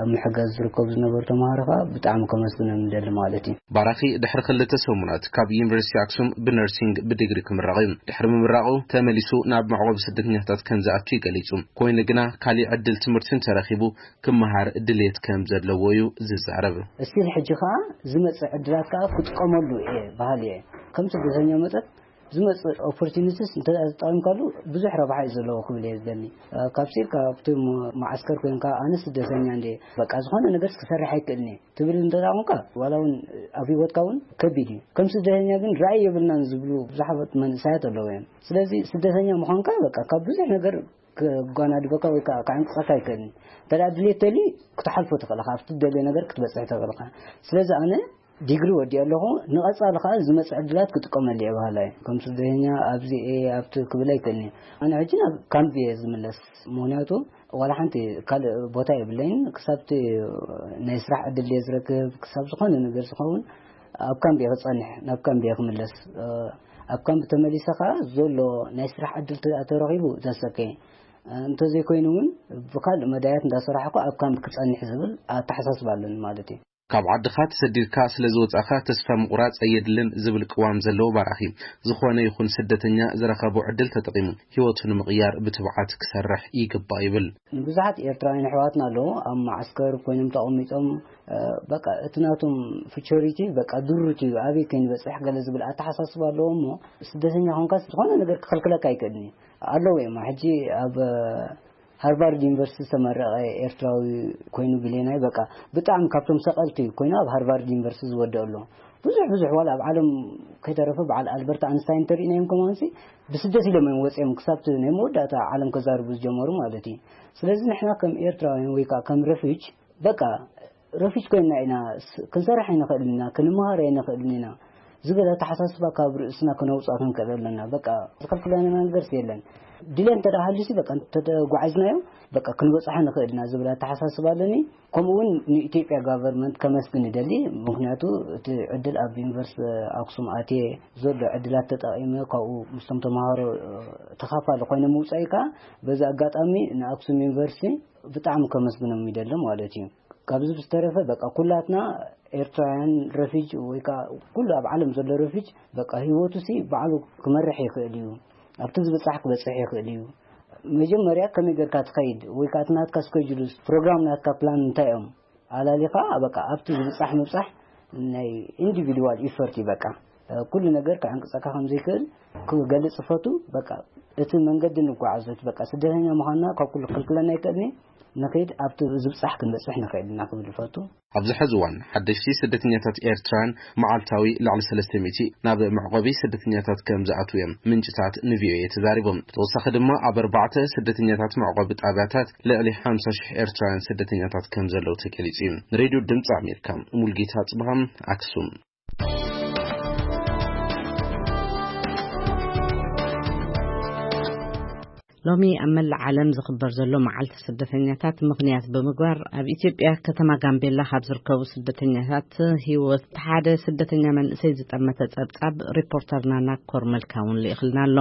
ኣብ ምሕጋዝ ዝርከቡ ዝነበሩ ተምሃሮ ከዓ ብጣዕሚ ከመስግኖም ይደሊ ማለት እዩ። ባራኺ ድሕሪ ክልተ ሰሙናት ካብ ዩኒቨርሲቲ ኣክሱም ብነርሲንግ ብዲግሪ ክምረቕ እዩ። ድሕሪ ምምራቑ ተመሊሱ ናብ መዕቆቢ ስደተኛታት ከም ዝኣቱ እዩ ገሊጹ። ኮይኑ ግና ካሊእ ዕድል ትምህርቲ እንተረኺቡ ክመሃር ድሌት ከም ዘለዎ እዩ ዝዛረብ። እስቲል ሕጂ ከዓ ዝመፅእ ዕድላት ከዓ ክጥቀመሉ እየ በሃሊ እየ። ከም ስደተኛ መጠን ዝመጽእ ኦፖርቹኒቲስ እንተ ተጠቒምካሉ ብዙሕ ረብሓ እዩ ዘለዎ ክብል እየ ዝደሊ። ካብሲ ካብቲ መዓስከር ኮይንካ ኣነ ስደተኛ እንደ በቃ ዝኾነ ነገር ክሰርሕ ኣይክእልን እየ ትብል እንተ ደኣ ኮንካ ዋላ እውን ኣብ ህይወትካ እውን ከቢድ እዩ። ከም ስደተኛ ግን ራእይ የብልናን ዝብሉ ብዙሓት መንእሰያት ኣለዉ እዮም። ስለዚ ስደተኛ ምዃንካ በቃ ካብ ብዙሕ ነገር ክጓናድበካ ወይ ከዓ ክዕንቅፀካ ኣይክእልን። እንተ ደኣ ድሌት ተልዩ ክትሓልፎ ትኽእል ኢኻ፣ ኣብቲ ትደልዮ ነገር ክትበፅሕ ትኽእል ኢኻ። ስለዚ ኣነ ዲግሪ ወዲኦ ኣለኹ፣ ንቐፃሊ ከዓ ዝመፅእ ዕድላት ክጥቀመሉ እየ በሃላ እየ። ከም ስደተኛ ኣብዚ እየ ኣብቲ ክብል ኣይክእልን እየ። ኣነ ሕጂ ናብ ካምፕ እየ ዝምለስ፣ ምክንያቱ ዋላ ሓንቲ ካልእ ቦታ የብለይን። ክሳብቲ ናይ ስራሕ ዕድል እየ ዝረክብ፣ ክሳብ ዝኾነ ነገር ዝኸውን ኣብ ካምፕ እየ ክፀንሕ፣ ናብ ካምፕ እየ ክምለስ። ኣብ ካምፕ ተመሊሰ ከዓ ዘሎ ናይ ስራሕ ዕድል ተ- ተረኺቡ ተሰከ፣ እንተዘይኮይኑ እውን ብካልእ መዳያት እንዳሰራሕኩ ኣብ ካምፕ ክፀንሕ ዝብል ኣተሓሳስባ ኣለኒ ማለት እዩ። ካብ ዓድኻ ተሰዲድካ ስለ ዝወጻኻ ተስፋ ምቑራጽ ኣየድልን ዝብል ቅዋም ዘለዎ ባራኺ፣ ዝኾነ ይኹን ስደተኛ ዝረኸቦ ዕድል ተጠቒሙ ህይወቱ ንምቕያር ብትብዓት ክሰርሕ ይግባእ ይብል። ንብዙሓት ኤርትራውያን ኣሕዋትና ኣለዉ ኣብ መዓስከር ኮይኖም ተቐሚጦም፣ እ፣ በቃ እቲ ናቶም ፊቸሪቲ በቃ ድሩት እዩ፣ ኣበይ ከይንበጽሕ ገለ ዝብል ኣተሓሳስባ ኣለዎ። እሞ ስደተኛ ኮንካ ዝኾነ ነገር ክኽልክለካ ኣይክእልን እዩ። ኣለዉ እዮም። ሕጂ ኣብ ሃርቫርድ ዩኒቨርሲቲ ዝተመረቐ ኤርትራዊ ኮይኑ ብሌናይ በቃ ብጣዕሚ ካብቶም ሰቐልቲ ኮይኑ ኣብ ሃርቫርድ ዩኒቨርሲቲ ዝወደእ ኣሎ። ብዙሕ ብዙሕ ዋላ ኣብ ዓለም ከይተረፈ በዓል ኣልበርት ኣንስታይን እንተሪእናዮም ከማንሲ ብስደት ኢሎም እዮም ወፂኦም ክሳብቲ ናይ መወዳእታ ዓለም ከዛርቡ ዝጀመሩ ማለት እዩ። ስለዚ ንሕና ከም ኤርትራውያን ወይ ከዓ ከም ረፊጅ በቃ ረፊጅ ኮይና ኢና ስ- ክንሰርሕ ኣይንኽእልን ኢና፣ ክንመሃር ኣይንኽእልን ኢና ዝብል ኣተሓሳስባ ካብ ርእስና ክነውፅኣ ክንክእል ኣለና። በቃ ዝኸልክለና ነገርስ የለን። ድሌት እንተ ደኣ ሃልዩሲ በቃ እንተተጓዒዝናዮ በቃ ክንበፅሖ ንኽእል ኢና ዝብል ኣተሓሳስባ ኣለኒ። ከምኡ እውን ንኢትዮጵያ ጋቨርንመንት ከመስግን ይደሊ። ምክንያቱ እቲ ዕድል ኣብ ዩኒቨርሲቲ ኣክሱም ኣትየ ዘሎ ዕድላት ተጠቒመ ካብኡ ምስቶም ተምሃሮ ተኻፋሊ ኮይነ ምውፃይ ከዓ በዚ ኣጋጣሚ ንኣክሱም ዩኒቨርሲቲ ብጣዕሚ ከመስግኖም ይደሊ ማለት እዩ። ካብዚ ብዝተረፈ በቃ ኩላትና ኤርትራውያን ረፊጅ ወይ ከዓ ኩሉ ኣብ ዓለም ዘሎ ረፊጅ በቃ ህይወቱ ሲ ባዕሉ ክመርሕ ይኽእል እዩ። ኣብቲ ዝብጻሕ ክበጽሕ ይኽእል እዩ። መጀመርያ ከመይ ጌርካ ትኸይድ ወይ ከዓ እቲ ናትካ ስኬጁልስ ፕሮግራም ናትካ ፕላን እንታይ እዮም ኣላሊኻ በቃ ኣብቲ ዝብጻሕ ምብጻሕ ናይ ኢንዲቪድዋል ኢፈርት እዩ። በቃ ኩሉ ነገር ክዕንቅጸካ ከም ዘይክእል ክገልጽ እፈቱ። በቃ እቲ መንገዲ ንጓዓዞት በቃ ስደተኛ ምዃንና ካብ ኩሉ ክልክለና ኣይክእልን እዩ። ንኸይድ ኣብቲ ዝብጻሕ ክንበጽሕ ንኽእል ኢና ክብል እፈቱ። ኣብዚ ሕዚ እዋን ሓደሽቲ ስደተኛታት ኤርትራውያን መዓልታዊ ልዕሊ ሰለስተ ሚእቲ ናብ መዕቆቢ ስደተኛታት ከም ዝኣትዉ እዮም ምንጭታት ንቪኦኤ ተዛሪቦም። ብተወሳኺ ድማ ኣብ ኣርባዕተ ስደተኛታት መዕቆቢ ጣብያታት ልዕሊ ሓምሳ ሽሕ ኤርትራውያን ስደተኛታት ከም ዘለዉ ተገሊጹ እዩ። ንሬድዮ ድምፂ ኣሜሪካ ሙልጌታ ጽብሃም ኣክሱም። ሎሚ ኣብ መላእ ዓለም ዝኽበር ዘሎ መዓልቲ ስደተኛታት ምኽንያት ብምግባር ኣብ ኢትዮጵያ ከተማ ጋምቤላ ካብ ዝርከቡ ስደተኛታት ህይወት ሓደ ስደተኛ መንእሰይ ዝጠመተ ጸብጻብ ሪፖርተርና ናኮር መልካ እውን ልኢኽልና ኣሎ።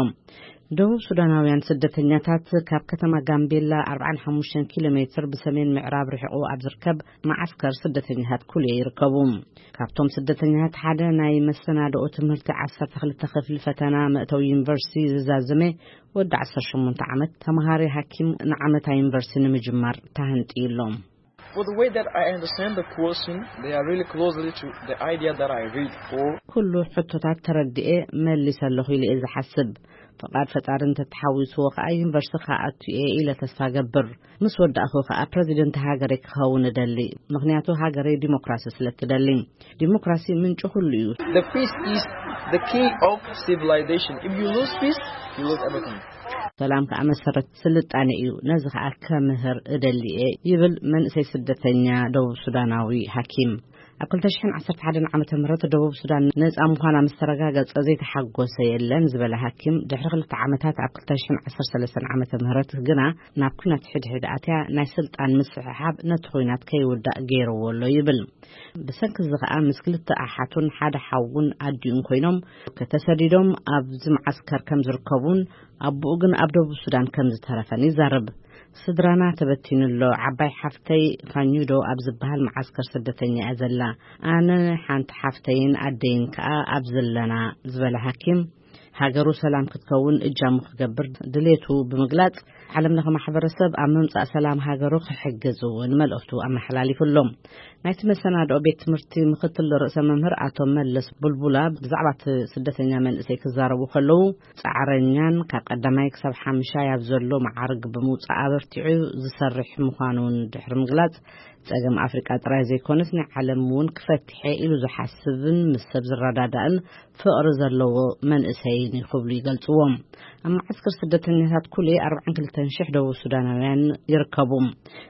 ደቡብ ሱዳናውያን ስደተኛታት ካብ ከተማ ጋምቤላ ኣርባዓን ሓሙሽተን ኪሎ ሜትር ብሰሜን ምዕራብ ርሒቑ ኣብ ዝርከብ መዓስከር ስደተኛታት ኩልየ ይርከቡ። ካብቶም ስደተኛታት ሓደ ናይ መሰናድኦ ትምህርቲ ዓሰርተ ክልተ ክፍሊ ፈተና መእተዊ ዩኒቨርሲቲ ዝዛዘመ ወዲ ዓሰርተ ሸሞንተ ዓመት ተምሃሪ ሓኪም ንዓመታ ዩኒቨርሲቲ ንምጅማር ተሃንጥዩ ኣሎ። For the way that I understand the question, they are really closely to the idea that I read for ኩሉ ሕቶታት ተረድኤ መሊሰ ኣለኹ ኢለ እየ ዝሓስብ። ፍቓድ ፈጣሪ እንተተሓዊስዎ ከኣ ዩኒቨርሲቲ ክኣቱ እየ ኢለ ተስፋ ገብር። ምስ ወዳእኹ ከኣ ፕረዚደንት ሃገረይ ክኸውን እደሊ፣ ምኽንያቱ ሃገረይ ዲሞክራሲ ስለ እትደሊ። ዲሞክራሲ ምንጪ ኩሉ እዩ። The peace is the key of civilization. If you lose peace, you lose everything. ሰላም ከኣ መሰረት ስልጣነ እዩ፣ ነዚ ከኣ ከምህር እደሊ እየ ይብል መንእሰይ ስደተኛ ደቡብ ሱዳናዊ ሓኪም። ኣብ ክልተ ሽሕን ዓሰርተ ሓደን ዓመተ ምህረት ደቡብ ሱዳን ነጻ ምዃና ምስ ተረጋገጸ ዘይተሓጎሰ የለን ዝበለ ሓኪም፣ ድሕሪ ክልተ ዓመታት ኣብ ክልተ ሽሕን ዓሰርተ ሰለስተን ዓመተ ምህረት ግና ናብ ኲናት ሕድሕድ ኣትያ ናይ ስልጣን ምስሕሓብ ነቲ ኲናት ከይውዳእ ገይርዎ ኣሎ ይብል። ብሰንኪ እዚ ከኣ ምስ ክልተ ኣሓቱን ሓደ ሓውን ኣዲኡን ኮይኖም ከተሰዲዶም ኣብዚ መዓስከር ከም ዝርከቡን ኣቦኡ ግን ኣብ ደቡብ ሱዳን ከም ዝተረፈን ይዛረብ። ስድራና ተበቲኑ ኣሎ። ዓባይ ሓፍተይ ፋኙዶ ኣብ ዝበሃል መዓስከር ስደተኛ እያ ዘላ። ኣነ ሓንቲ ሓፍተይን ኣደይን ከኣ ኣብ ዘለና ዝበለ ሓኪም፣ ሃገሩ ሰላም ክትከውን እጃሙ ክገብር ድሌቱ ብምግላጽ፣ ዓለም ለኸ ማሕበረሰብ ኣብ ምምጻእ ሰላም ሃገሩ ክሕግዝ እውን መልእኽቱ ኣመሓላሊፉ ኣሎ። ናይቲ መሰናድኦ ቤት ትምህርቲ ምኽትል ርእሰ መምህር ኣቶ መለስ ቡልቡላ ብዛዕባ እቲ ስደተኛ መንእሰይ ክዛረቡ ከለዉ፣ ጻዕረኛን ካብ ቀዳማይ ክሳብ ሓምሻይ ኣብ ዘሎ መዓርግ ብምውጻእ ኣበርቲዑ ዝሰርሕ ምዃኑ እውን ድሕሪ ምግላጽ፣ ጸገም ኣፍሪቃ ጥራይ ዘይኮነስ ናይ ዓለም እውን ክፈትሐ ኢሉ ዝሓስብን ምስ ሰብ ዝረዳዳእን ፍቕሪ ዘለዎ መንእሰይን እዩ ክብሉ ይገልጽዎም። ኣብ መዓስከር ስደተኛታት ኩሌ ኣርባዓን ክልተን ሽሕ ደቡብ ሱዳናውያን ይርከቡ።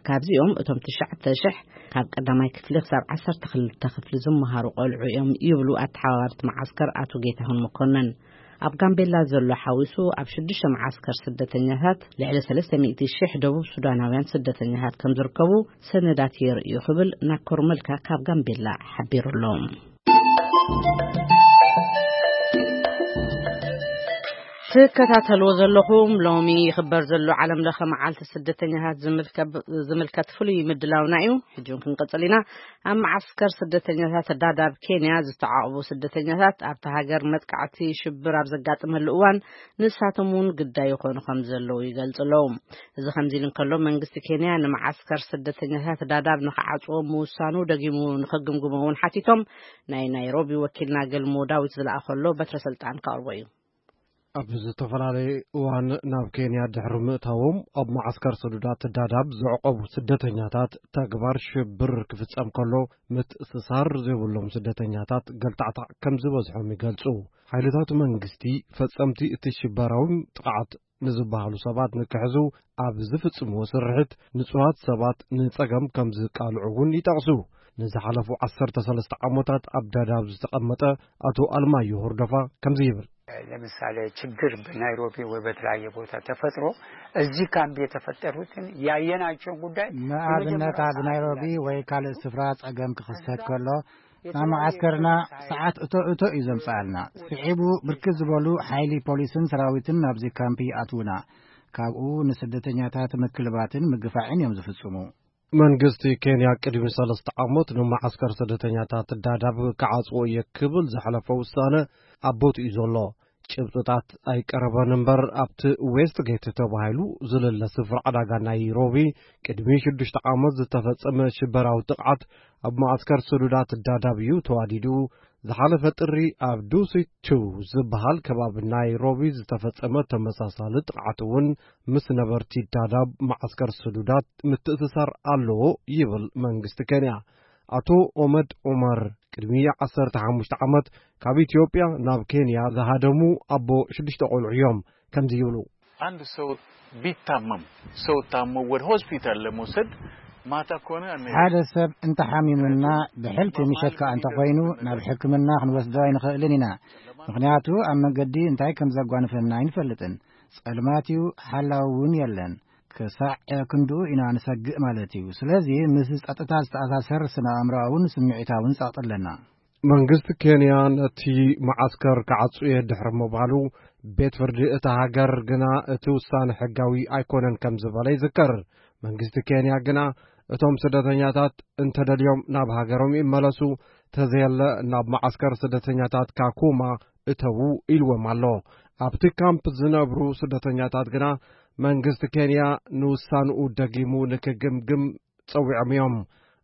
ካብዚኦም እቶም ትሽዓተ ሽሕ ካብ ቀዳማይ ክፍሊ ክሳብ ዓሰርተ ክልተ ክፍሊ ዝመሃሩ ቆልዑ እዮም ይብሉ ኣተሓባባርቲ መዓስከር ኣቶ ጌታሁን መኮነን። ኣብ ጋምቤላ ዘሎ ሓዊሱ ኣብ ሽዱሽተ መዓስከር ስደተኛታት ልዕሊ ሰለስተ ሚእቲ ሽሕ ደቡብ ሱዳናውያን ስደተኛታት ከም ዝርከቡ ሰነዳት የርእዩ ክብል ናኮር መልካ ካብ ጋምቤላ ሓቢሩ ኣሎ። ትከታተልዎ ዘለኹም ሎሚ ይኽበር ዘሎ ዓለም ለኸ መዓልቲ ስደተኛታት ዝምልከ-፣ ዝምልከት ፍሉይ ምድላውና እዩ። ሕጂ እውን ክንቅጽል ኢና። ኣብ መዓስከር ስደተኛታት ዳዳብ ኬንያ ዝተዓቑቡ ስደተኛታት ኣብቲ ሃገር መጥቃዕቲ ሽብር ኣብ ዘጋጥመሉ እዋን ንሳቶም እውን ግዳይ ይኾኑ ከም ዘለዉ ይገልጹ ኣለዉ። እዚ ከምዚ ኢሉ እንከሎ መንግስቲ ኬንያ ንመዓስከር ስደተኛታት ዳዳብ ንኽዓጽዎ ምውሳኑ ደጊሙ ንኽግምግሞ እውን ሓቲቶም ናይ ናይሮቢ ወኪልና ገልሞ ዳዊት ዝለኣኸሎ በትረ ስልጣን ከቕርቦ እዩ። ኣብ ዝተፈላለየ እዋን ናብ ኬንያ ድሕሪ ምእታዎም ኣብ መዓስከር ሰዱዳት ዳዳብ ዘዕቆቡ ስደተኛታት ተግባር ሽብር ክፍጸም ከሎ ምትእስሳር ዘይብሎም ስደተኛታት ገልታዕታዕ ከም ዝበዝሖም ይገልጹ። ሓይልታት መንግስቲ ፈጸምቲ እቲ ሽበራዊ ጥቕዓት ንዝበሃሉ ሰባት ንክሕዙ ኣብ ዝፍጽምዎ ስርሒት ንጹሃት ሰባት ንጸገም ከም ዝቃልዑ እውን ይጠቕሱ። ንዝሓለፉ ዓሰርተ ሰለስተ ዓመታት ኣብ ዳዳብ ዝተቐመጠ ኣቶ ኣልማዮ ሁርደፋ ከምዚ ይብል። ለምሳሌ ችግር በናይሮቢ ወይ በተለያየ ቦታ ተፈጥሮ እዚህ ካምፕ የተፈጠሩትን ያየናቸውን ጉዳይ ንኣብነት ኣብ ናይሮቢ ወይ ካልእ ስፍራ ጸገም ክኽሰት ከሎ ናብ መዓስከርና ሰዓት እቶ እቶ እዩ ዘምጽኣልና። ስዒቡ ብርክት ዝበሉ ሓይሊ ፖሊስን ሰራዊትን ናብዚ ካምፕ ይኣትዉና። ካብኡ ንስደተኛታት ምክልባትን ምግፋዕን እዮም ዝፍጽሙ። መንግስቲ ኬንያ ቅድሚ ሰለስተ ዓመት ንመዓስከር ስደተኛታት ዳዳብ ክዓጽዎ እየ ክብል ዘሕለፈ ውሳነ ኣብ ቦትኡ እዩ ዘሎ። ጭብጥታት ኣይቀረበን እምበር ኣብቲ ዌስት ጌት ተባሂሉ ዝልለ ስፍራ ዕዳጋ ናይሮቢ ቅድሚ ሽዱሽተ ዓመት ዝተፈጸመ ሽበራዊ ጥቕዓት ኣብ መዓስከር ስዱዳት ዳዳብ እዩ ተዋዲዱ። ዝሓለፈ ጥሪ ኣብ ዱሲ ቱ ዝበሃል ከባቢ ናይሮቢ ዝተፈጸመ ተመሳሳሊ ጥቕዓት እውን ምስ ነበርቲ ዳዳብ መዓስከር ስዱዳት ምትእስሳር ኣለዎ ይብል መንግስቲ ኬንያ። ኣቶ ኦመድ ዑመር ቅድሚ ዓሰርተ ሓሙሽተ ዓመት ካብ ኢትዮጵያ ናብ ኬንያ ዝሃደሙ ኣቦ ሽዱሽተ ቆልዑ እዮም። ከምዚ ይብሉ። አንድ ሰው ቢታመም፣ ሰው ታሞ ወደ ሆስፒታል ለመውሰድ ማታ ከሆነ አንሄድም። ሓደ ሰብ እንተሓሚሙና ብሕልፊ ምሸት ከኣ እንተኾይኑ ናብ ሕክምና ክንወስዶ ኣይንኽእልን ኢና። ምኽንያቱ ኣብ መንገዲ እንታይ ከም ዘጓንፈና ኣይንፈልጥን። ጸልማት እዩ፣ ሓላዊ እውን የለን። ክሳዕ ክንድኡ ኢና ንሰግእ ማለት እዩ። ስለዚ ምስ ጸጥታ ዝተኣሳሰር ስነ ኣእምሮኣውን ስምዒታውን ጸቕጢ ኣለና። መንግስቲ ኬንያ ነቲ መዓስከር ክዓጹ እየ ድሕሪ ምባሉ፣ ቤት ፍርዲ እታ ሃገር ግና እቲ ውሳነ ሕጋዊ ኣይኮነን ከም ዝበለ ይዝከር። መንግስቲ ኬንያ ግና እቶም ስደተኛታት እንተደልዮም ናብ ሃገሮም ይመለሱ፣ ተዘየለ ናብ መዓስከር ስደተኛታት ካኩማ እተዉ ኢልዎም ኣሎ። ኣብቲ ካምፕ ዝነብሩ ስደተኛታት ግና መንግስቲ ኬንያ ንውሳንኡ ደጊሙ ንክግምግም ጸዊዖም እዮም።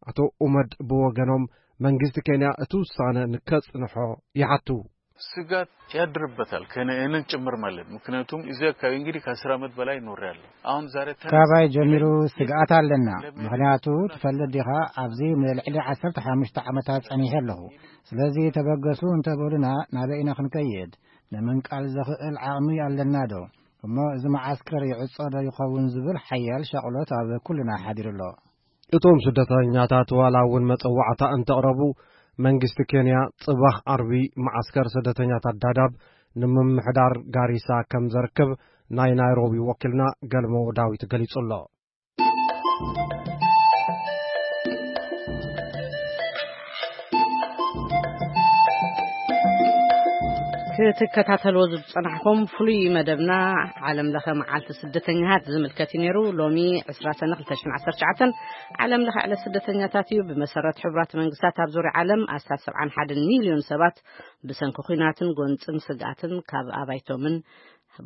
ኣቶ ኡመድ ብወገኖም መንግስቲ ኬንያ እቲ ውሳነ ንከጽንሖ ይሓቱ። ስጋት ያድርበታል፣ ከነ እኔን ጭምር ማለት። ምክንያቱም እዚ አካባቢ እንግዲህ ከአስር ዓመት በላይ ኖሬያለሁ። አሁን ዛሬ ተነስ- ካባይ ጀሚሩ ስግኣት ኣለና። ምክንያቱ ትፈልጥ ዲኻ፣ ኣብዚ ንልዕሊ ዓሰርተ ሓሙሽተ ዓመታት ጸኒሐ ኣለኹ። ስለዚ ተበገሱ እንተበሉና ናበይ ኢና ክንከይድ? ንምንቃል ዘኽእል ዓቕሚ ኣለና ዶ? እሞ እዚ መዓስከር ይዕጾ ዶ ይኸውን ዝብል ሓያል ሻቕሎት ኣብ ኩልና ሓዲሩ ኣሎ። እቶም ስደተኛታት ዋላ እውን መጸዋዕታ እንተቕረቡ፣ መንግስቲ ኬንያ ጽባሕ ዓርቢ መዓስከር ስደተኛታት ዳዳብ ንምምሕዳር ጋሪሳ ከም ዘርክብ ናይ ናይሮቢ ወኪልና ገልሞ ዳዊት ገሊጹ ኣሎ። ክትከታተልዎ ዝጸናሕኩም ፍሉይ መደብና ዓለም ለኸ መዓልቲ ስደተኛታት ዝምልከት እዩ ነይሩ። ሎሚ ዕስራ ሰነ ክልተ ሽሕን ዓሰርተ ትሽዓተን ዓለም ለኸ ዕለት ስደተኛታት እዩ። ብመሰረት ሕቡራት መንግስታት ኣብ ዙርያ ዓለም ኣስታት ሰብዓን ሓደን ሚልዮን ሰባት ብሰንኪ ኲናትን ጎንጽን ስግኣትን ካብ ኣባይቶምን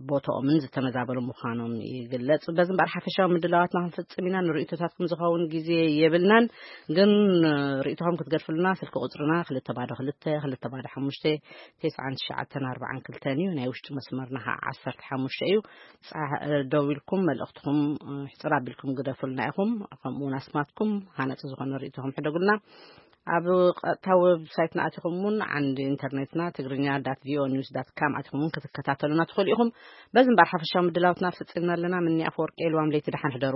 ቦታኦምን ዝተመዛበሉ ምዃኖም ይግለጽ። በዚ እምበኣር ሓፈሻዊ ምድላዋትና ክንፍጽም ኢና። ንርእይቶታትኩም ዝኸውን ግዜ የብልናን፣ ግን ርእይቶኹም ክትገድፍሉና ስልኪ ቁጽርና ክልተ ባዶ ክልተ፣ ክልተ ባዶ ሓሙሽተ፣ ተስዓን ትሽዓተን ኣርባዓን ክልተን እዩ። ናይ ውሽጢ መስመርና ከዓ ዓሰርተ ሓሙሽተ እዩ። ጻ-፣ ደዊልኩም መልእኽትኹም ሕጽር ኣቢልኩም ግደፉልና ኢኹም። ከምኡ እውን ኣስማትኩም ሃነጺ ዝኾነ ርእይቶኹም ሕደጉልና። ኣብ ቀጥታ ዌብሳይትና ኣቲኹም እውን ዓንዲ ኢንተርኔትና ትግርኛ ዳት ቪኦኤ ኒውስ ዳት ካም ኣቲኹም እውን ክትከታተሉና ትኽእሉ ኢኹም። በዚ እምበኣር ሓፈሻዊ ምድላውትና ፍጽምና ኣለና። ምኒ ኣፈወርቂ፣ ልዋም ለይቲ ደሓን ሕደሩ።